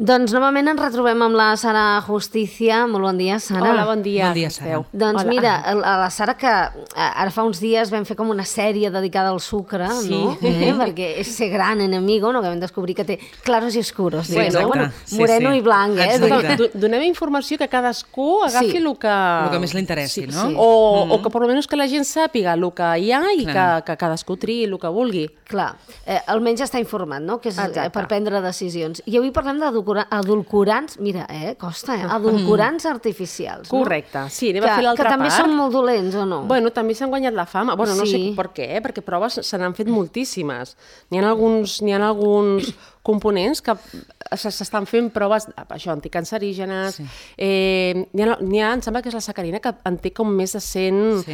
Doncs novament ens retrobem amb la Sara Justicia. Molt bon dia, Sara. Hola, bon dia. Bon dia, Sara. Doncs mira, a la Sara, que ara fa uns dies vam fer com una sèrie dedicada al sucre, no? Perquè és ser gran enemigo, no? Que vam descobrir que té claros i oscuros. Bueno, moreno i blanc, Donem informació que cadascú agafi el que més li interessi, no? O que per almenys que la gent sàpiga el que hi ha i que cadascú triï el que vulgui. Clar, almenys està informat, no? Que és per prendre decisions. I avui parlem d'edulcorants, mira, costa, edulcorants artificials. Correcte, sí, anem a fer l'altra part. Que també són molt dolents, o no? Bueno, també s'han guanyat la fama. Bueno, no sé per què, perquè proves se n'han fet moltíssimes. N'hi ha alguns components que s'estan fent proves, això, anticancerígenes. N'hi ha, em sembla que és la sacarina, que en té com més de 100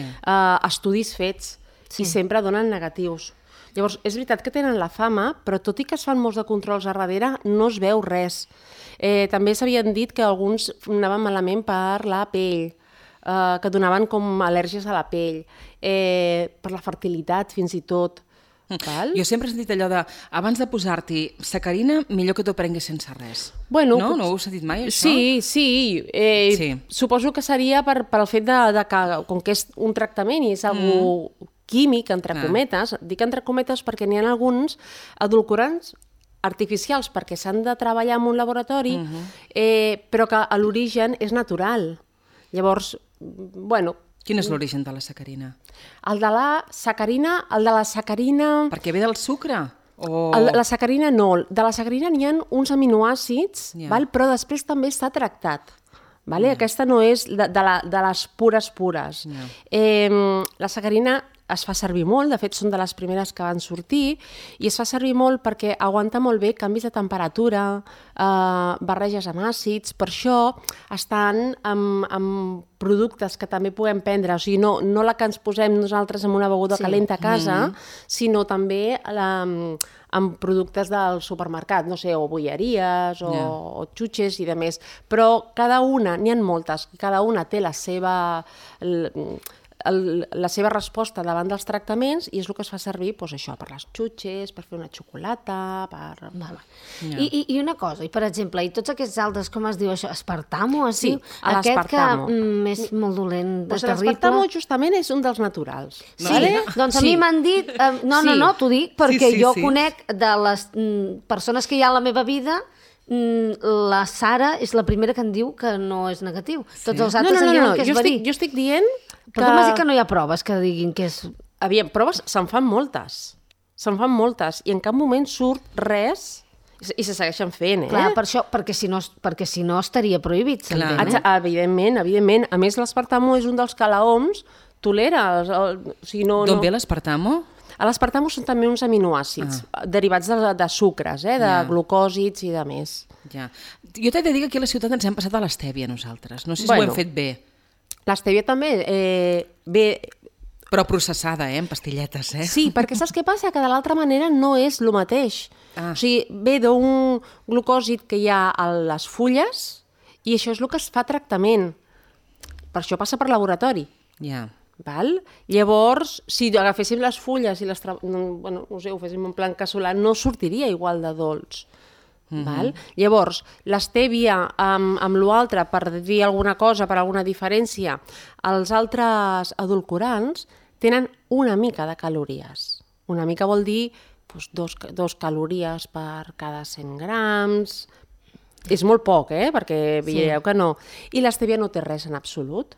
estudis fets i sempre donen negatius. Llavors, és veritat que tenen la fama, però tot i que es fan molts de controls a darrere, no es veu res. També s'havien dit que alguns anaven malament per la pell, que donaven com al·lèrgies a la pell, per la fertilitat fins i tot. Jo sempre he sentit allò de, abans de posar-t'hi sacarina, millor que t'ho prenguis sense res. Bueno, no ho heu sentit mai, això? Sí. Suposo que seria per el fet que, com que és un tractament i és algú químic, entre cometes, dic entre cometes perquè n'hi ha alguns edulcorants artificials perquè s'han de treballar en un laboratori, però que a l'origen és natural. Llavors, bueno... Quin és l'origen de la sacarina? El de la sacarina... Perquè ve del sucre? La sacarina no. De la sacarina n'hi ha uns aminoàcids, però després també està tractat. Aquesta no és de les pures. La sacarina es fa servir molt, de fet són de les primeres que van sortir, i es fa servir molt perquè aguanta molt bé canvis de temperatura, barreges amb àcids, per això estan amb productes que també podem prendre, o sigui, no la que ens posem nosaltres en una beguda calenta a casa, sinó també amb productes del supermercat, no sé, o bolleries, o xutxes i demés, però cada una, n'hi ha moltes, cada una té la seva resposta davant dels tractaments i és el que es fa servir per les xutxes, per fer una xocolata, I una cosa, per exemple, i tots aquests altres, com es diu això, aspartamo? Sí, l'aspartamo. Aquest que és molt dolent, terrible. L'aspartamo justament és un dels naturals. Sí, doncs a mi m'han dit... No, t'ho dic, perquè jo conec de les persones que hi ha a la meva vida, la Sara és la primera que em diu que no és negatiu. Tots els altres em diuen que és verí. Jo estic dient que... Però com has dit que no hi ha proves que diguin que és... Aviam, proves se'n fan moltes. I en cap moment surt res i se segueixen fent, Clar, per això, perquè si no estaria prohibit, s'entén, Evidentment. A més, l'aspartamo és un dels que la OMS tolera. D'on ve l'aspartamo? L'aspartamo són també uns aminoàcids derivats de sucres, de glucòsids i de més. Jo t'he de dir que aquí a la ciutat ens hem passat a l'estèvia nosaltres. No sé si ho hem fet bé. L'estèvia també ve... Però processada, en pastilletes, Sí, perquè saps què passa? Que de l'altra manera no és el mateix. O sigui, ve d'un glucòsid que hi ha a les fulles i això és el que es fa tractament. Per això passa per laboratori. Llavors, si agaféssim les fulles i ho féssim en plan casolà, no sortiria igual de dolç. Llavors, l'estèvia amb l'altre, per dir alguna cosa, per alguna diferència, els altres edulcorants tenen una mica de calories. Una mica vol dir 2 calories per cada 100 grams. És molt poc, perquè veieu que no. I l'estèvia no té res en absolut.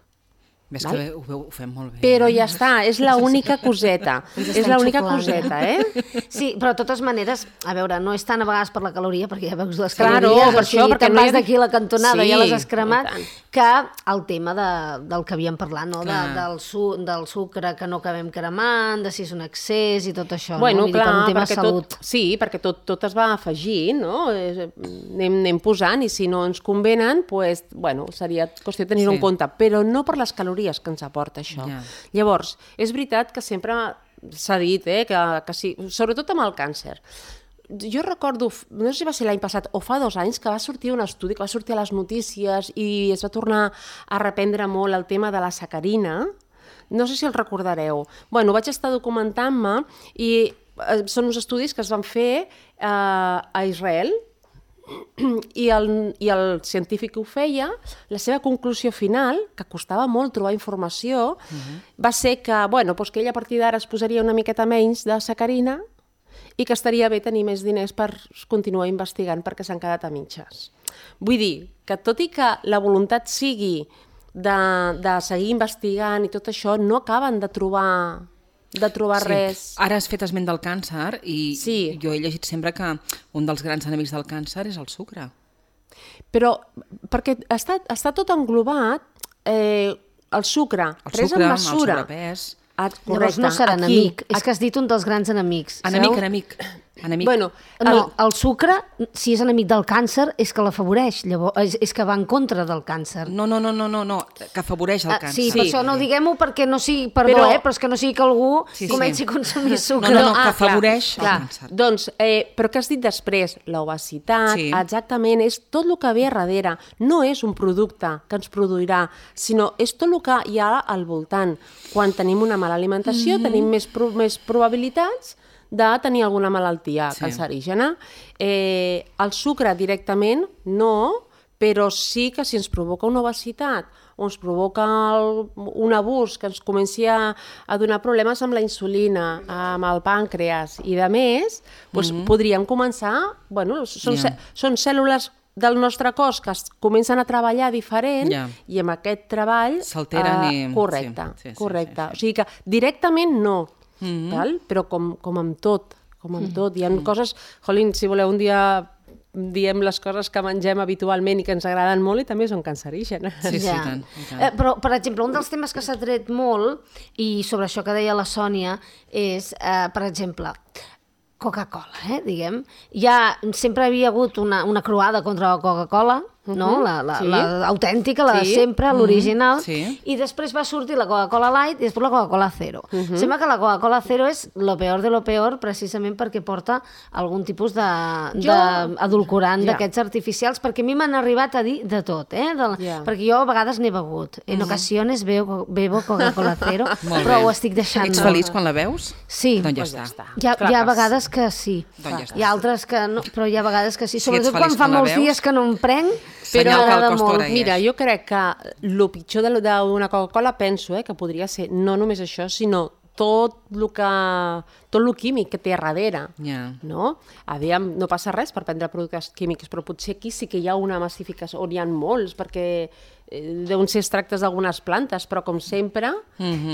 Ves que ho fem molt bé. Però ja està, és l'única coseta. És l'única coseta, Sí, però de totes maneres, a veure, no és tant a vegades per la caloria, perquè ja veus les calories, per això, te'n vas d'aquí a la cantonada, ja les has cremat, que el tema del que havíem parlat, no? Del sucre que no acabem cremant, de si és un excés i tot això, no? Vull dir, per un tema de salut. Sí, perquè tot es va afegint, no? Anem posant, i si no ens convenen, seria qüestió de tenir-ho en compte, però no per les calories que ens aporta això. Llavors, és veritat que sempre s'ha dit que sí, sobretot amb el càncer. Jo recordo, no sé si va ser l'any passat o fa 2 anys, que va sortir un estudi, que va sortir a les notícies i es va tornar a reprendre molt el tema de la sacarina. No sé si el recordareu. Vaig estar documentant-me i són uns estudis que es van fer a Israel, I el científic que ho feia, la seva conclusió final, que costava molt trobar informació, va ser que, doncs que ell a partir d'ara es posaria una miqueta menys de sacarina i que estaria bé tenir més diners per continuar investigant perquè s'han quedat a mitges. Vull dir que tot i que la voluntat sigui de seguir investigant i tot això, no acaben de trobar res. Ara has fet esment del càncer i jo he llegit sempre que un dels grans enemics del càncer és el sucre. Però perquè està tot englobat, el sucre, pres en mesura. El sobrepès. Llavors no serà enemic, és que has dit un dels grans enemics. Enemic. Bueno, el sucre, si és enemic del càncer, és que l'afavoreix, llavors és que va en contra del càncer. No, que afavoreix el càncer. Sí, per això no diguem-ho perquè no sigui, però és que no sigui que algú comenci a consumir sucre. No, que afavoreix el càncer. Doncs, però què has dit després? L'obesitat, exactament, és tot el que ve a darrere. No és un producte que ens produirà, sinó és tot el que hi ha al voltant. Quan tenim una mala alimentació, tenim més probabilitats de tenir alguna malaltia cancerígena. El sucre directament no, però sí que si ens provoca una obesitat o ens provoca un abús que ens comenci a donar problemes amb la insulina, amb el pàncreas i de més, podríem començar... Són cèl·lules del nostre cos que comencen a treballar diferent i amb aquest treball... S'alteren i... Correcte. O sigui que directament no, però com amb tot, hi ha coses... Jolín, si voleu un dia diem les coses que mengem habitualment i que ens agraden molt i també són cancerígenes. Sí, tant. Però, per exemple, un dels temes que s'ha tret molt, i sobre això que deia la Sònia, és, per exemple, Coca-Cola, diguem. Sempre havia hagut una croada contra la Coca-Cola, no? L'autèntica, la de sempre, l'original, i després va sortir la Coca-Cola Light i després la Coca-Cola Zero. Sembla que la Coca-Cola Zero és lo peor de lo peor precisament perquè porta algun tipus d'adulcorant d'aquests artificials, perquè a mi m'han arribat a dir de tot, perquè jo a vegades n'he begut. En ocasiones bebo Coca-Cola Zero, però ho estic deixant. Ets feliç quan la veus? Sí. Doncs ja està. Hi ha vegades que sí. Hi ha altres que no, però hi ha vegades que sí. Sobretot quan fa molts dies que no em prenc, però m'agrada molt. Mira, jo crec que el pitjor d'una Coca-Cola penso que podria ser no només això, sinó tot el químic que té a darrere. No? Aviam, no passa res per prendre productes químics, però potser aquí sí que hi ha una massificació, on hi ha molts, perquè deuen ser extractes d'algunes plantes, però com sempre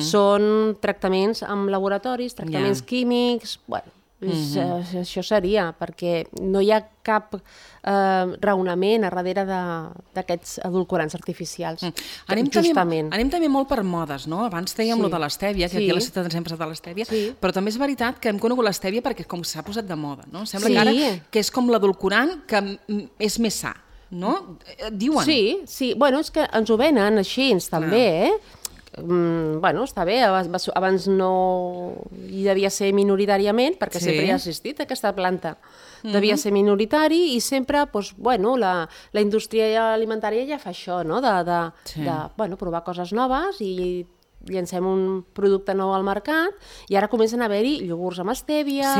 són tractaments amb laboratoris, tractaments químics... Això seria, perquè no hi ha cap raonament a darrere d'aquests edulcorants artificials. Anem també molt per modes, no? Abans dèiem lo de l'estèvia, que aquí a la ciutat ens hem passat de l'estèvia, però també és veritat que hem conegut l'estèvia perquè com s'ha posat de moda, no? Sembla que ara que és com l'edulcorant que és més sa, no? Diuen. Sí, bueno, és que ens ho venen així, també, està bé, abans no hi devia ser minoritàriament, perquè sempre hi ha assistit aquesta planta. Devia ser minoritari i sempre, la indústria alimentària ja fa això, no? De provar coses noves i llancem un producte nou al mercat i ara comencen a haver-hi iogurts amb estèvia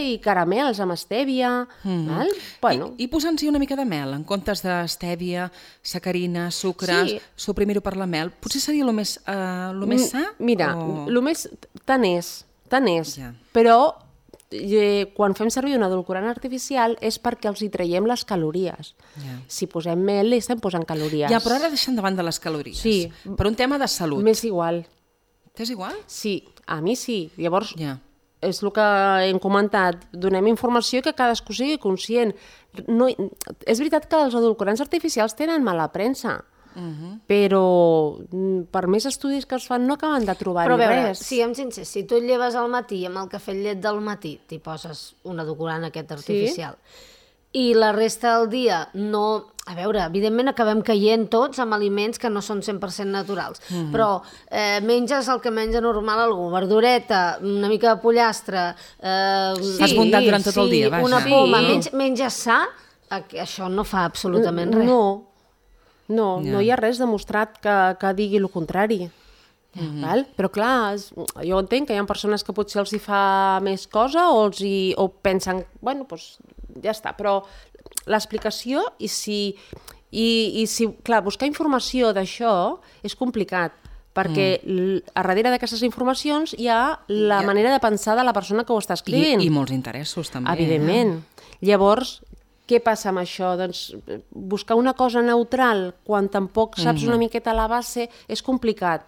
i caramels amb estèvia. I posant-hi una mica de mel, en comptes d'estèvia, sacarina, sucre, suprimir-ho per la mel, potser seria el més sa? Mira, el més tant és, però quan fem servir un edulcorant artificial és perquè els hi traiem les calories. Si posem mel, li estem posant calories. Però ara deixant de banda les calories. Sí. Per un tema de salut. M'és igual. T'és igual? Sí, a mi sí. Llavors, és el que hem comentat. Donem informació que cadascú sigui conscient. És veritat que els edulcorants artificials tenen mala premsa, però per més estudis que es fan no acaben de trobar-hi res. Però a veure, siguem sincers, si tu et lleves al matí amb el cafè llet del matí, t'hi poses un edulcorant aquest artificial, i la resta del dia no... A veure, evidentment acabem caient tots amb aliments que no són 100% naturals, però menges el que menja normal algú, verdureta, una mica de pollastre... Has muntat durant tot el dia, vaja. Una poma, menges sa, això no fa absolutament res. No hi ha res demostrat que digui el contrari. Però clar, jo entenc que hi ha persones que potser els hi fa més cosa o pensen, ja està, però l'explicació i si, clar, buscar informació d'això és complicat, perquè a darrere d'aquestes informacions hi ha la manera de pensar de la persona que ho està escrivint. I molts interessos, també. Evidentment. Llavors, què passa amb això? Doncs buscar una cosa neutral quan tampoc saps una miqueta la base és complicat,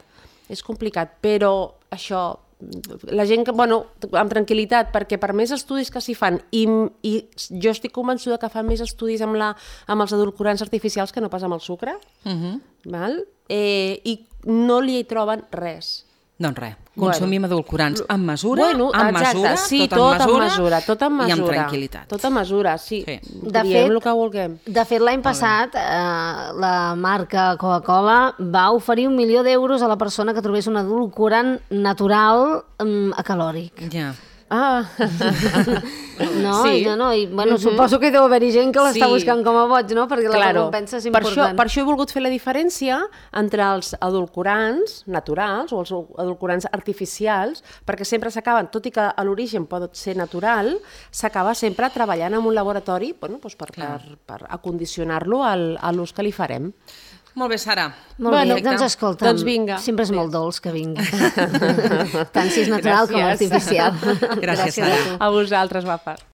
però això, la gent que, amb tranquil·litat, perquè per més estudis que s'hi fan, i jo estic convençuda que fan més estudis amb els edulcorants artificials que no pas amb el sucre, val? I no li troben res. Doncs res, consumim edulcorants amb mesura, tot amb mesura i amb tranquil·litat. Tot amb mesura, sí. Diem el que vulguem. De fet, l'any passat, la marca Coca-Cola va oferir 1 milió d'euros a la persona que trobés un edulcorant natural acalòric. Ja. Suposo que deu haver-hi gent que l'està buscant com a boig, no? Perquè la recompensa és important. Per això he volgut fer la diferència entre els edulcorants naturals o els edulcorants artificials, perquè sempre s'acaben, tot i que a l'origen pot ser natural, s'acaba sempre treballant en un laboratori per acondicionar-lo a l'ús que li farem. Molt bé, Sara. Molt bé, doncs escolta'm, sempre és molt dolç que vingui. Tant si és natural com artificial. Gràcies, Sara. A vosaltres, guapes.